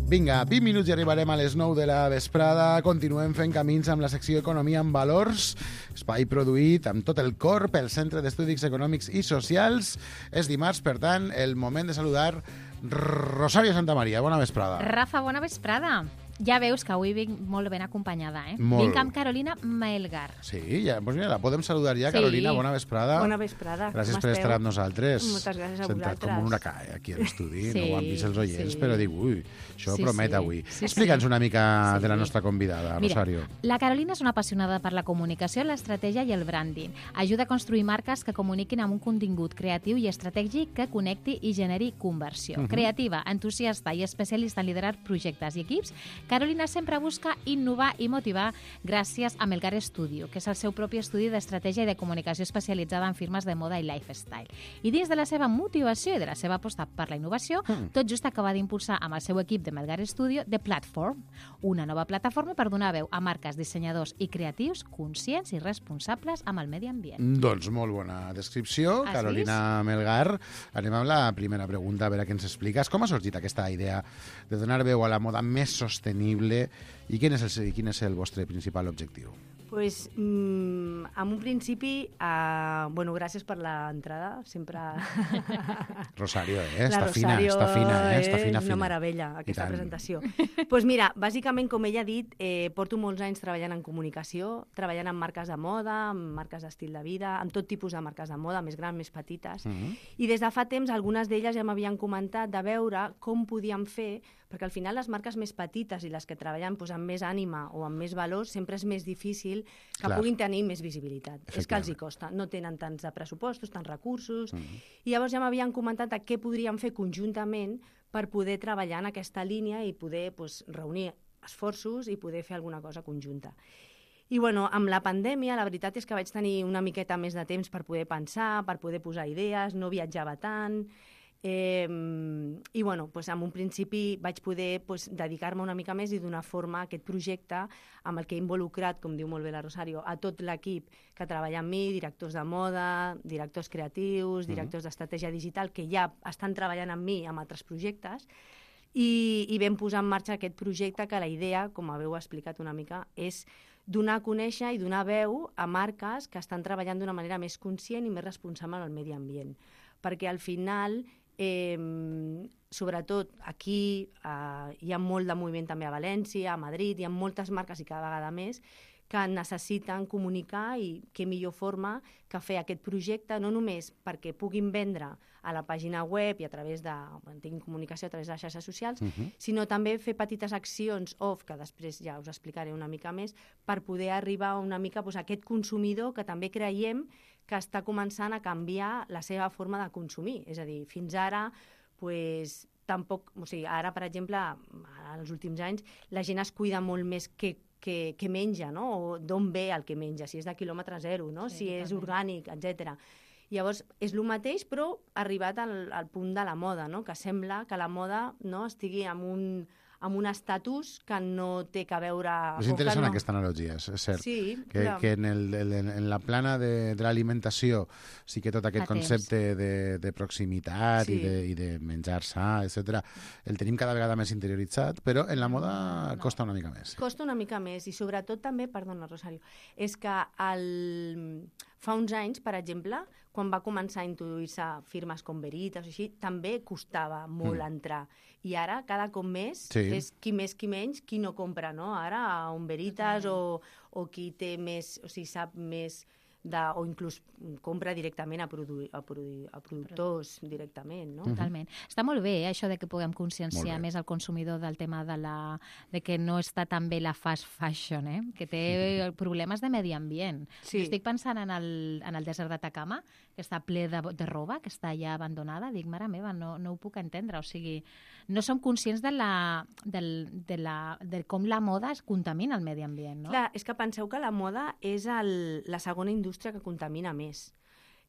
Vinga, vint minuts i arribarem a les nou de la vesprada. Continuem fent camins amb la secció Economia en Valors, espai produït amb tot el cor pel Centre d'Estudis Econòmics i Socials. És dimarts, per tant, el moment de saludar Rosario Santamaría. Bona vesprada. Rafa, bona vesprada. Ja veus que avui vinc molt ben acompanyada, eh? Molt. Vinc amb Carolina Maelgar. Sí, ja, doncs mira, la podem saludar ja. Sí. Carolina, bona vesprada. Bona vesprada. Gràcies per estar amb nosaltres. Moltes gràcies a Sentat vosaltres. com un huracà, eh, aquí a l'estudi. Sí, no ho han vist els oients, sí. Però dic, ui, això Sí, promet sí. avui. Sí, Explica'ns sí. una mica Sí. de la nostra convidada, Mira, Rosario. la Carolina és una apassionada per la comunicació, l'estratègia i el branding. Ajuda a construir marques que comuniquin amb un contingut creatiu i estratègic que connecti i generi conversió. Uh-huh. Creativa, entusiasta i especialista en liderar projectes i equips, Carolina sempre busca innovar i motivar gràcies a Melgar Studio, que és el seu propi estudi d'estratègia i de comunicació especialitzada en firmes de moda i lifestyle. I dins de la seva motivació i de la seva aposta per la innovació, mm. tot just acaba d'impulsar amb el seu equip de Melgar Studio The Platform, una nova plataforma per donar veu a marques, dissenyadors i creatius conscients i responsables amb el medi ambient. Doncs molt bona descripció, Ah, Carolina sí? Melgar. Anem amb la primera pregunta, a veure què ens expliques. Com ha sorgit aquesta idea de donar veu a la moda més sostenible i quin és el, quin és el vostre principal objectiu? Pues, mm, en un principi, uh, bueno, gràcies per l'entrada, sempre... Rosario, eh? La Està fina, Rosario, està fina, eh? Està fina, és una fina. meravella, aquesta tant. presentació. Pues mira, bàsicament, com ella ha dit, eh, porto molts anys treballant en comunicació, treballant amb marques de moda, amb marques d'estil de vida, amb tot tipus de marques de moda, més grans, més petites. Mm -hmm. I des de fa temps, algunes d'elles ja m'havien comentat de veure com podíem fer, perquè al final les marques més petites i les que treballen pues, amb més ànima o amb més valors, sempre és més difícil que Clar. puguin tenir més visibilitat. És que els hi costa. No tenen tants de pressupostos, tants recursos. Mm-hmm. I llavors ja m'havien comentat què podríem fer conjuntament per poder treballar en aquesta línia i poder pues, reunir esforços i poder fer alguna cosa conjunta. I bueno, amb la pandèmia la veritat és que vaig tenir una miqueta més de temps per poder pensar, per poder posar idees, no viatjava tant, eh, i bueno, pues en un principi vaig poder pues, dedicar-me una mica més i donar forma a aquest projecte amb el que he involucrat, com diu molt bé la Rosario, a tot l'equip que treballa amb mi, directors de moda, directors creatius, directors mm-hmm. d'estratègia digital, que ja estan treballant amb mi en altres projectes, i, i vam posar en marxa aquest projecte que la idea, com haveu explicat una mica, és donar a conèixer i donar veu a marques que estan treballant d'una manera més conscient i més responsable amb el medi ambient. Perquè al final, eh, sobretot aquí, eh, hi ha molt de moviment també a València, a Madrid, hi ha moltes marques i cada vegada més, que necessiten comunicar i què millor forma que fer aquest projecte, no només perquè puguin vendre a la pàgina web i a través de, bueno, tinguin comunicació a través de les xarxes socials, uh-huh. sinó també fer petites accions off, que després ja us explicaré una mica més, per poder arribar una mica pues, a aquest consumidor que també creiem que està començant a canviar la seva forma de consumir. És a dir, fins ara, pues, tampoc, o sigui, ara, per exemple, als últims anys, la gent es cuida molt més que que, que menja, no? O d'on ve el que menja, si és de quilòmetre zero, no? Sí, si és orgànic, etcètera. Llavors, és el mateix, però arribat al, al punt de la moda, no? Que sembla que la moda no, estigui en un, amb un estatus que no té que veure... És interessant no... aquesta analogia, és cert. Sí, que, que en, el, en, en la plana de, de l'alimentació sí que tot aquest Atents. concepte de, de proximitat sí. i, de, i de menjar sa, etcètera, el tenim cada vegada més interioritzat, però en la moda no. costa una mica més. Costa una mica més i sobretot també, perdona Rosario, és que el... fa uns anys, per exemple, quan va començar a introduir-se firmes com Veritas o així, també costava molt mm. entrar. I ara, cada cop més, sí. és qui més, qui menys, qui no compra, no? Ara, a un Veritas sí. o, o qui té més, o sigui, sap més... De, o inclús compra directament a, produ a, produ a productors directament, no? Totalment. Està molt bé, eh, això de que puguem conscienciar més el consumidor del tema de, la, de que no està tan bé la fast fashion, eh? Que té problemes de medi ambient. Sí. Estic pensant en el, en el desert d'Atacama, que està ple de, de roba, que està ja abandonada. Dic, mare meva, no, no ho puc entendre. O sigui, no som conscients de, la, del, de, la, de com la moda es contamina el medi ambient, no? Clar, és que penseu que la moda és el, la segona indústria que contamina més.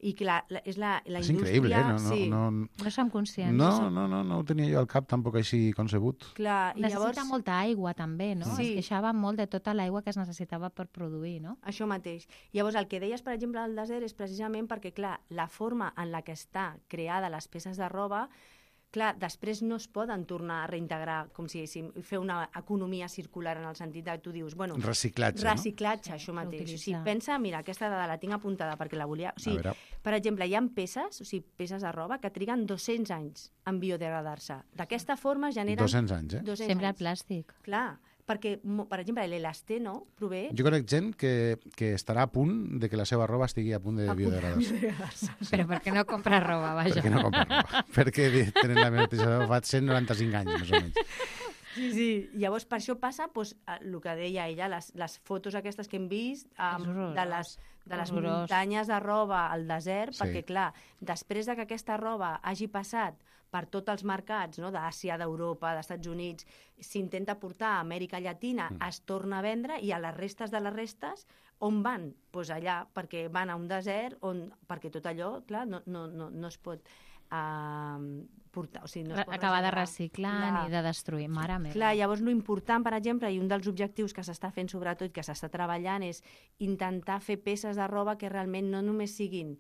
I que la, la, és la, la és indústria... increïble, eh? No, no, sí. no, no som conscients. No, no, no, no ho tenia jo al cap tampoc així concebut. Clar, i necessita llavors... molta aigua també, no? Sí. Es queixava molt de tota l'aigua que es necessitava per produir, no? Això mateix. Llavors, el que deies, per exemple, al desert és precisament perquè, clar, la forma en la que està creada les peces de roba, clar, després no es poden tornar a reintegrar, com si diguéssim, fer una economia circular en el sentit que tu dius, bueno... Reciclatge, Reciclatge, no? això mateix. O sigui, pensa, mira, aquesta dada la tinc apuntada perquè la volia... O sigui, a per exemple, hi ha peces, o sigui, peces de roba que triguen dos-cents anys en biodegradar-se. D'aquesta forma generen... dos-cents anys, eh? Sempre el plàstic. Clar, perquè, per exemple, l'elasteno prové... Jo conec gent que, que estarà a punt de que la seva roba estigui a punt de biodegradar-se. Sí. Però per què no compra roba, vaja? Per què no compra roba? Perquè tenen la mateixa fa cent noranta-cinc anys, més o menys. Sí, sí. Llavors, per això passa doncs, el que deia ella, les, les fotos aquestes que hem vist um, de les, de les muntanyes de roba al desert, sí. perquè, clar, després de que aquesta roba hagi passat per tots els mercats, no? d'Àsia, d'Europa, dels Estats Units, s'intenta portar a Amèrica Llatina, mm. es torna a vendre, i a les restes de les restes, on van? Doncs pues allà, perquè van a un desert, on, perquè tot allò, clar, no, no, no, no es pot... Uh, portar, o sigui, no es pot acabar de reciclar clar. Ni de destruir, mare meva. Clar, llavors l'important, per exemple, i un dels objectius que s'està fent sobretot, que s'està treballant, és intentar fer peces de roba que realment no només siguin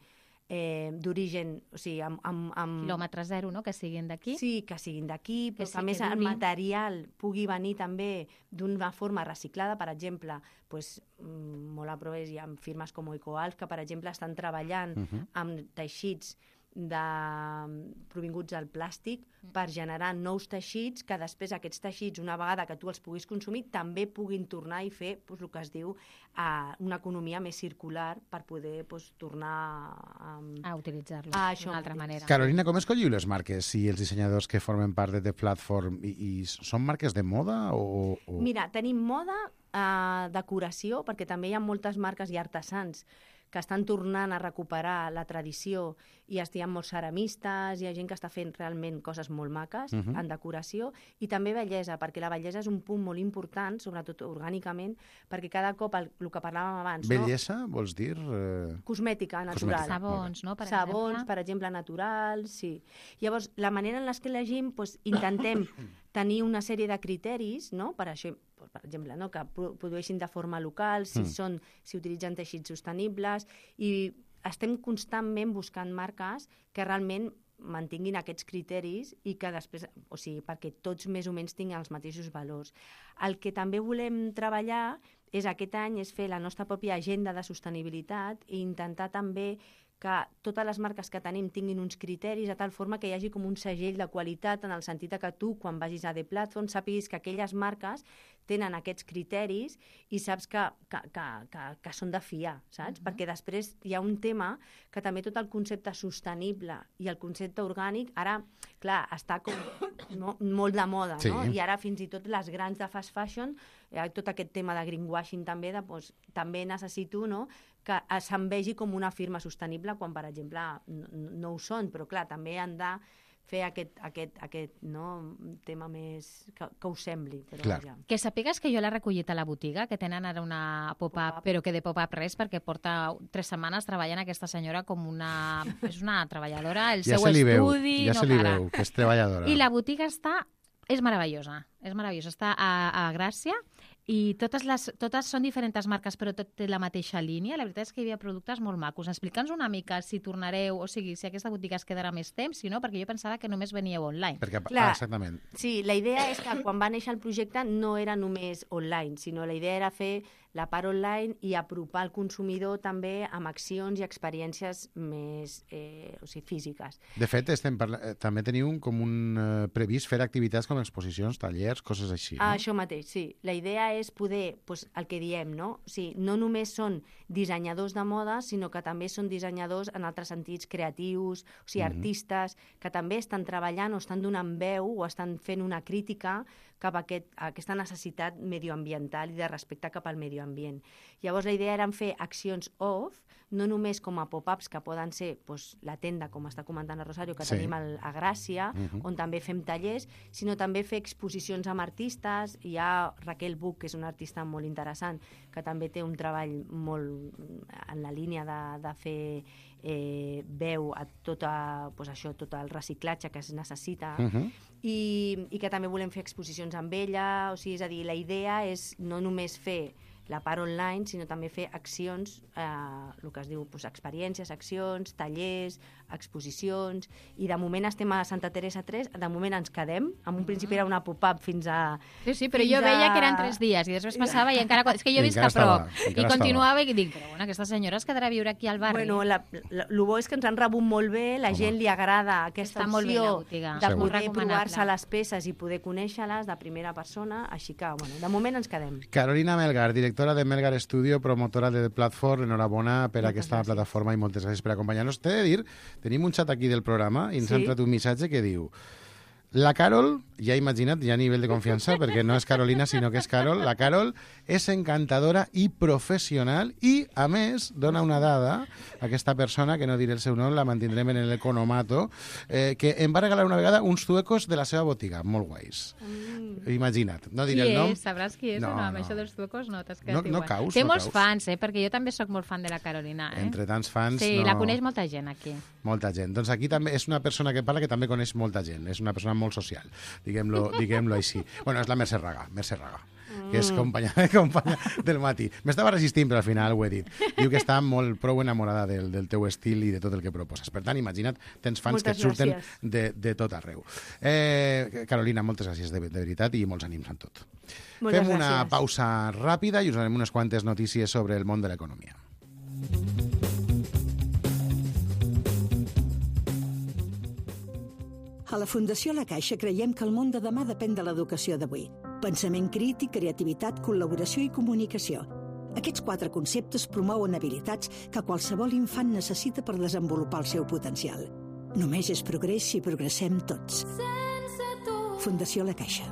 eh, d'origen, o sigui, amb, amb, amb... quilòmetre zero, no?, que siguin d'aquí. Sí, que siguin d'aquí, però que, que a més el material pugui venir també d'una forma reciclada, per exemple, pues, molt a proves hi ha firmes com Ecoalf, que, per exemple, estan treballant uh-huh. amb teixits de, provinguts del plàstic per generar nous teixits que després aquests teixits, una vegada que tu els puguis consumir, també puguin tornar i fer pues, el que es diu uh, una economia més circular per poder pues, tornar um, a utilitzar-lo d'una altra manera. Carolina, com escolliu les marques i els dissenyadors que formen part de The Platform? I, i són marques de moda? O, o... Mira, tenim moda, uh, decoració, perquè també hi ha moltes marques i artesans que estan tornant a recuperar la tradició i hi ha molts ceramistes, hi ha gent que està fent realment coses molt maques uh-huh. en decoració, i també bellesa, perquè la bellesa és un punt molt important, sobretot orgànicament, perquè cada cop, el, el que parlàvem abans... Bellesa, no? Vols dir? Eh... Cosmètica, natural. Cosmètica. Sabons, no? Per Sabons, exemple. per exemple, naturals, sí. Llavors, la manera en què elegim, doncs, intentem tenir una sèrie de criteris, no? Per això, per exemple, no? Que produeixin de forma local, si, mm. són, si utilitzen teixits sostenibles, i estem constantment buscant marques que realment mantinguin aquests criteris i que després, o sigui, perquè tots més o menys tinguin els mateixos valors. El que també volem treballar és aquest any és fer la nostra pròpia agenda de sostenibilitat i intentar també que totes les marques que tenim tinguin uns criteris de tal forma que hi hagi com un segell de qualitat en el sentit que tu, quan vagis a The Platform, sàpiguis que aquelles marques tenen aquests criteris i saps que, que, que, que, que són de fiar, saps? Uh-huh. Perquè després hi ha un tema que també tot el concepte sostenible i el concepte orgànic, ara, clar, està com no, molt de moda, sí. no? I ara fins i tot les grans de fast fashion, eh, tot aquest tema de greenwashing també, de, doncs, també necessito, no?, que se'n vegi com una firma sostenible quan, per exemple, no, no ho són, però clar, també han de fer aquest, aquest, aquest no, tema més que, que us sembli. Però vaja. Que sapigues que jo l'he recollit a la botiga, que tenen ara una pop-up, pop però que de pop-up res, perquè porta tres setmanes treballant aquesta senyora com una... És una treballadora, el ja seu estudi... Veu, ja no se li para. veu, que és treballadora. I la botiga està... És meravellosa, és meravellosa. Està a, a Gràcia i totes, les, totes són diferents marques, però tot té la mateixa línia. La veritat és que hi havia productes molt macos. Explica'ns una mica si tornareu, o sigui, si aquesta botiga es quedarà més temps, si no, perquè jo pensava que només veníeu online. Perquè, Clar, ah, exactament. Sí, la idea és que quan va néixer el projecte no era només online, sinó la idea era fer la part online i apropar el consumidor també amb accions i experiències més eh, o sigui, físiques. De fet, estem parla... també teniu com un eh, previst fer activitats com exposicions, tallers, coses així. No? Ah, això mateix, sí. La idea és poder, doncs, el que diem, no? O sigui, no només són dissenyadors de moda, sinó que també són dissenyadors en altres sentits creatius, o sigui, mm-hmm. artistes que també estan treballant o estan donant veu o estan fent una crítica cap a, aquest, a aquesta necessitat medioambiental i de respecte cap al medi ambient. Llavors, la idea era fer accions off, no només com a pop-ups que poden ser doncs, la tenda, com està comentant a Rosario, que sí. tenim al, a Gràcia, uh-huh. on també fem tallers, sinó també fer exposicions amb artistes. Hi ha Raquel Buch, que és una artista molt interessant, que també té un treball molt en la línia de, de fer eh, veu a tot, a, doncs això, tot el reciclatge que es necessita, uh-huh. i, i que també volem fer exposicions amb ella. O sigui, és a dir, la idea és no només fer la part online, sinó també fer accions, eh, el que es diu doncs, experiències, accions, tallers, exposicions, i de moment estem a Santa Teresa tres, de moment ens quedem, en un principi era una pop-up fins a... Sí, sí, però jo veia a... que eren tres dies, i després passava i encara... És que jo he vist a prop, i continuava i dic, però bueno, aquesta senyora es quedarà a viure aquí al barri. Bueno, la, la, el bo és que ens han rebut molt bé, la Home. gent li agrada aquesta Està opció bé, de poder provar-se les peces i poder conèixer-les de primera persona, així que, bueno, de moment ens quedem. Carolina Melgar, directora de Melgar Studio, promotora de Platform, enhorabona per moltes aquesta gràcies. plataforma i moltes gràcies per acompanyar-nos. T'he de dir, tenim un xat aquí del programa i ens sí? ha entrat un missatge que diu: la Carol, ja he imaginat, ja a nivell de confiança, perquè no és Carolina, sinó que és Carol, la Carol és encantadora i professional i, a més, dona una dada, aquesta persona, que no diré el seu nom, la mantindrem en l'economato, eh, que em va regalar una vegada uns zuecos de la seva botiga, molt guais. Mm. Imagina't, no diré qui el nom. És? Sabràs qui és? No, no, amb no. això dels zuecos no t'has quedat no, no igual. Caus, Té no molts caus. fans, eh? Perquè jo també sóc molt fan de la Carolina. Eh? Entre tants fans... Sí, no... la coneix molta gent aquí. Molta gent. Doncs aquí també és una persona que parla que també coneix molta gent. És una persona molt social, diguem-lo diguem-lo així. Bueno, és la Mercè Raga, Mercè Raga, mm. que és companya, companya del matí. M'estava resistint, però al final ho he dit. Diu que està molt prou enamorada del, del teu estil i de tot el que proposes. Per tant, imagina't, tens fans moltes que et surten de, de tot arreu. Eh, Carolina, moltes gràcies de, de veritat i molts ànims en tot. Moltes Fem una gràcies. pausa ràpida i us donarem unes quantes notícies sobre el món de l'economia. A la Fundació La Caixa creiem que el món de demà depèn de l'educació d'avui. Pensament crític, creativitat, col·laboració i comunicació. Aquests quatre conceptes promouen habilitats que qualsevol infant necessita per desenvolupar el seu potencial. Només és progrés si progressem tots. Fundació La Caixa.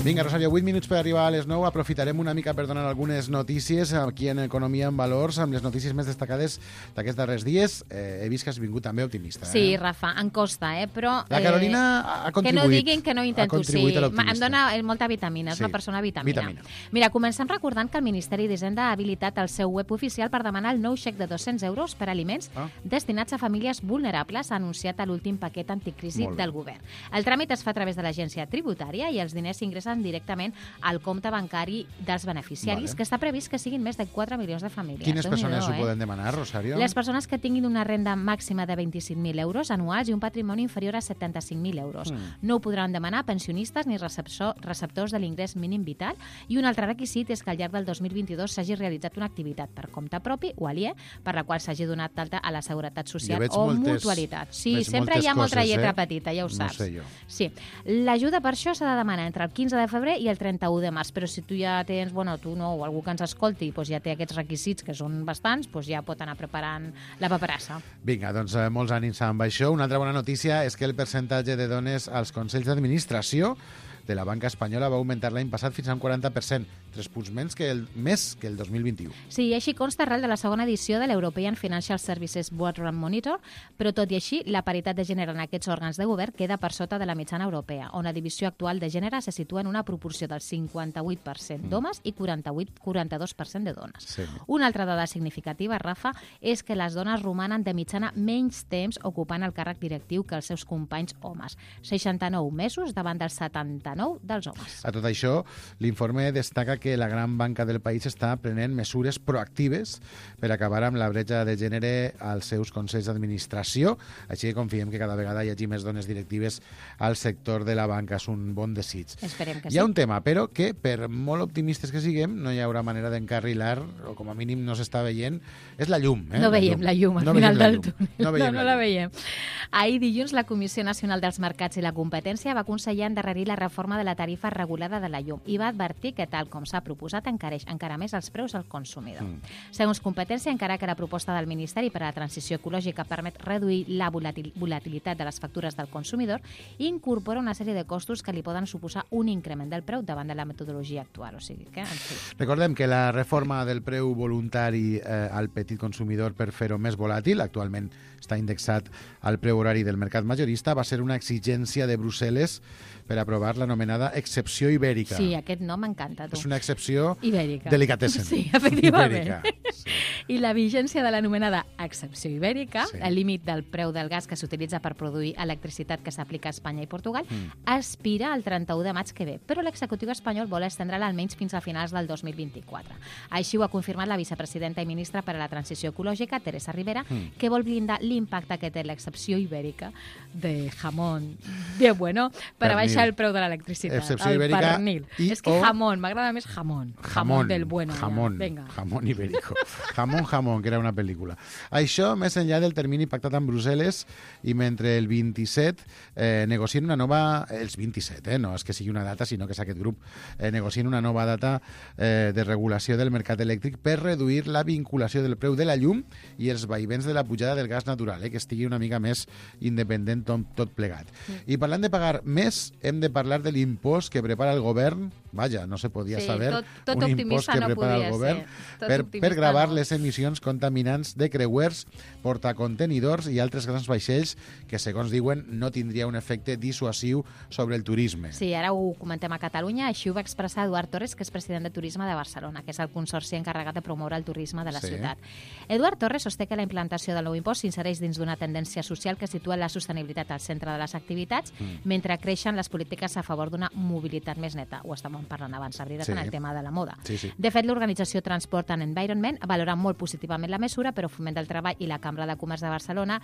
Vinga, Rosario, vuit minuts per arribar a les nou. Aprofitarem una mica per donar algunes notícies aquí en Economia en Valors, amb les notícies més destacades d'aquests darrers dies. Eh, he vist que has vingut també optimista. Eh? Sí, Rafa, em costa, eh? Però... La Carolina eh, ha contribuït. Que no diguin que no intento. Sí, em dona molta vitamina, és sí. una persona vitamina. vitamina. Mira, comencem recordant que el Ministeri d'Hisenda ha habilitat el seu web oficial per demanar el nou xec de dos-cents euros per aliments ah. destinats a famílies vulnerables, ha anunciat a l'últim paquet anticrisi del govern. El tràmit es fa a través de l'agència tributària i els diners s'ingressen directament al compte bancari dels beneficiaris, vale. que està previst que siguin més de quatre milions de famílies. Quines persones ho eh? poden demanar, Rosario? Les persones que tinguin una renda màxima de vint-i-cinc mil euros anuals i un patrimoni inferior a setanta-cinc mil euros. Mm. No ho podran demanar pensionistes ni receptor, receptors de l'ingrés mínim vital, i un altre requisit és que al llarg del dos mil vint-i-dos s'hagi realitzat una activitat per compte propi o aliè per la qual s'hagi donat d'alta a la Seguretat Social o moltes, mutualitat. Sí, sempre hi ha molta lletra eh? petita, ja ho saps. No sé jo. Sí. L'ajuda per això s'ha de demanar entre el quinze de febrer i el trenta-u de març, però si tu ja tens, bueno, tu no, o algú que ens escolti, doncs ja té aquests requisits, que són bastants, doncs ja pot anar preparant la paperassa. Vinga, doncs eh, molts ànims amb això. Una altra bona notícia és que el percentatge de dones als consells d'administració de la banca espanyola va augmentar l'any passat fins a un quaranta per cent, tres punts menys que el, més que el dos mil vint-i-u. Sí, i així consta arrel de la segona edició de l'European Financial Services Board and Monitor, però tot i així, la paritat de gènere en aquests òrgans de govern queda per sota de la mitjana europea, on la divisió actual de gènere se situa en una proporció del cinquanta-vuit per cent d'homes i quaranta-vuit quaranta-dos per cent de dones. Sí. Una altra dada significativa, Rafa, és que les dones romanen de mitjana menys temps ocupant el càrrec directiu que els seus companys homes, seixanta-nou mesos davant dels setanta-nou dels homes. A tot això, l'informe destaca que la gran banca del país està prenent mesures proactives per acabar amb la bretxa de gènere als seus consells d'administració, així que confiem que cada vegada hi hagi més dones directives al sector de la banca. És un bon desig. Esperem que hi ha sí. un tema, però que per molt optimistes que siguem no hi haurà manera d'encarrilar, o com a mínim no s'està veient, és la llum. Eh? No veiem la llum, la llum al no final del llum. túnel. No, veiem no, no la, la veiem. Ahir dilluns la Comissió Nacional dels Mercats i la Competència va aconsellar endarrerir la reforma de la tarifa regulada de la llum i va advertir que, tal com s'ha proposat, encareix encara més els preus al consumidor. Mm. Segons Competència, encara que la proposta del Ministeri per a la Transició Ecològica permet reduir la volatil volatilitat de les factures del consumidor, incorpora una sèrie de costos que li poden suposar un increment del preu davant de la metodologia actual. O sigui que, en fi. Recordem que la reforma del preu voluntari eh, al petit consumidor per fer-ho més volàtil, actualment està indexat al preu horari del mercat majorista, va ser una exigència de Brussel·les per aprovar l'anomenada excepció ibèrica. Sí, aquest nom m'encanta, tu. És una excepció ibèrica. Delicatessen. Sí, efectivament. Ibèrica. Sí. I la vigència de l'anomenada excepció ibèrica, sí. el límit del preu del gas que s'utilitza per produir electricitat que s'aplica a Espanya i Portugal, mm. aspira al trenta-u de maig que ve, però l'executiu espanyol vol estendre-la almenys fins a finals del dos mil vint-i-quatre. Així ho ha confirmat la vicepresidenta i ministra per a la Transició Ecològica, Teresa Rivera, mm. que vol blindar l'impacte que té l'excepció ibèrica de jamón de bueno per abaixar el preu de l'electricitat. Excepció ibèrica i és que o... jamón, m'agrada més jamón. Jamón, jamón del bueno. Jamón, ja. jamón ibérico. Jamón, jamón, que era una pel·lícula. Això més enllà del termini pactat amb Brussel·les i mentre el vint-i-set eh, negocien una nova... Els vint-i-set, eh? No és que sigui una data, sinó que és aquest grup. Eh, negocien una nova data eh, de regulació del mercat elèctric per reduir la vinculació del preu de la llum i els vaivents de la pujada del gas natural, eh? Que estigui una mica més independent tot, tot plegat. Mm. I parlant de pagar més, hem de parlar de l'impost que prepara el govern. Vaja, no se podia sí, saber tot, tot un impost que no prepara el govern per, per gravar no. les emissions contaminants de creuers, portacontenidors i altres grans vaixells que, segons diuen, no tindria un efecte dissuasiu sobre el turisme. Sí, ara ho comentem a Catalunya. Així ho va expressar Eduard Torres, que és president de Turisme de Barcelona, que és el consorci encarregat de promoure el turisme de la sí. ciutat. Eduard Torres sosté que la implantació del nou impost s'insereix dins d'una tendència social que situa la sostenibilitat al centre de les activitats, mm. mentre creixen les polítiques a favor d'una mobilitat més neta. Ho estàvem parlant abans, Sabrina, sí. en el tema de la moda. Sí, sí. De fet, l'organització Transport and Environment valora molt positivament la mesura, però Foment del Treball i la Cambra de Comerç de Barcelona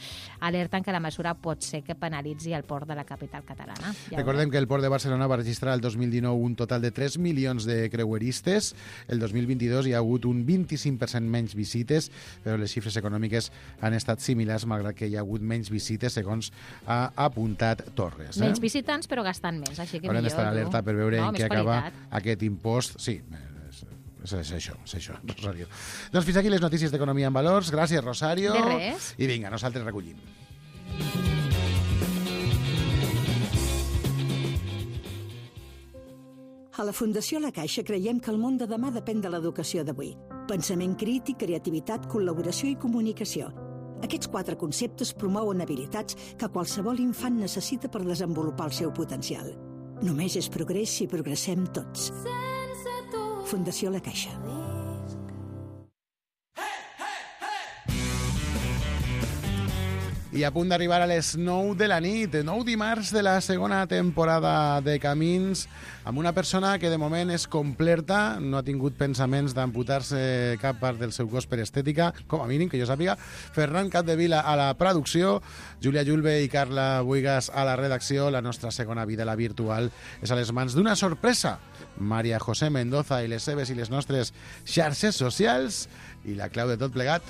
alerten que la mesura pot ser que penalitzi el port de la capital catalana. Ja Recordem que el port de Barcelona va registrar el dos mil dinou un total de tres milions de creueristes. El dos mil vint-i-dos hi ha hagut un vint-i-cinc per cent menys visites, però les xifres econòmiques han estat similars, malgrat que hi ha hagut menys visites, segons ha apuntat Torres. Eh? Menys visitants, però gastant més, així que Haurem millor. Haurem d'estar alerta per veure no, en què acaba aquest impost. Sí, és, és això, és això, Rosario. Doncs fins aquí les notícies d'Economia en Valors. Gràcies, Rosario. De res. I vinga, nosaltres recollim. A la Fundació La Caixa creiem que el món de demà depèn de l'educació d'avui. Pensament crític, creativitat, col·laboració i comunicació. Aquests quatre conceptes promouen habilitats que qualsevol infant necessita per desenvolupar el seu potencial. Només és progrés si progressem tots. Fundació La Caixa. I a punt d'arribar a les nou de la nit, nou dimarts de la segona temporada de Camins, amb una persona que de moment és completa, no ha tingut pensaments d'amputar-se cap part del seu cos per estètica, com a mínim, que jo sàpiga. Ferran Capdevila a la producció, Júlia Julve i Carla Buigas a la redacció. La nostra segona vida, la virtual, és a les mans d'una sorpresa. Maria José Mendoza i les seves i les nostres xarxes socials i la clau de tot plegat.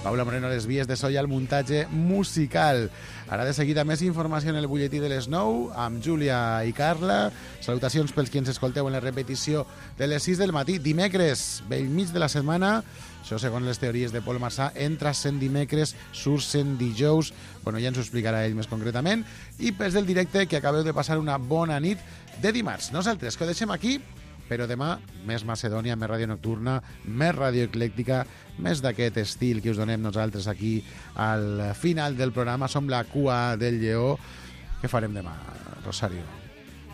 Paula Moreno a les vies de so i al muntatge musical. Ara de seguida més informació en el butlletí de les nou amb Júlia i Carla. Salutacions pels qui ens escolteu en la repetició de les sis del matí. Dimecres, bell mig de la setmana. Això segons les teories de Pol Marsà. Entra sent dimecres, surt sent dijous. Bueno, ja ens ho explicarà ell més concretament. I pels del directe, que acabeu de passar una bona nit de dimarts. Nosaltres, que ho deixem aquí, però demà més Macedònia, més ràdio nocturna, més ràdio eclèctica, més d'aquest estil que us donem nosaltres aquí al final del programa. Som la cua del lleó. Què farem demà, Rosario?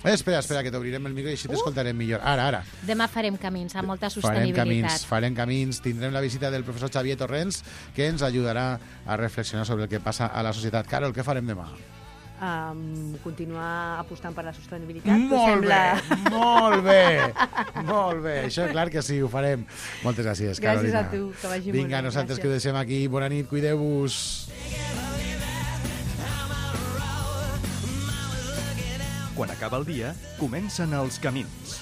Eh, espera, espera, que t'obrirem el micro i així t'escoltarem millor. Ara, ara. Demà farem camins, amb molta Farem sostenibilitat. camins, farem camins. Tindrem la visita del professor Xavier Torrents, que ens ajudarà a reflexionar sobre el que passa a la societat. Carol, què farem demà? Um, continuar apostant per la sostenibilitat. Molt sembla... bé, molt bé, molt bé. Això clar que sí, ho farem. Moltes gràcies, Carolina. Gràcies a tu, que vagi molt bé. Vinga, nosaltres que ho deixem aquí. Bona nit, cuideu-vos. Quan acaba el dia, comencen els camins.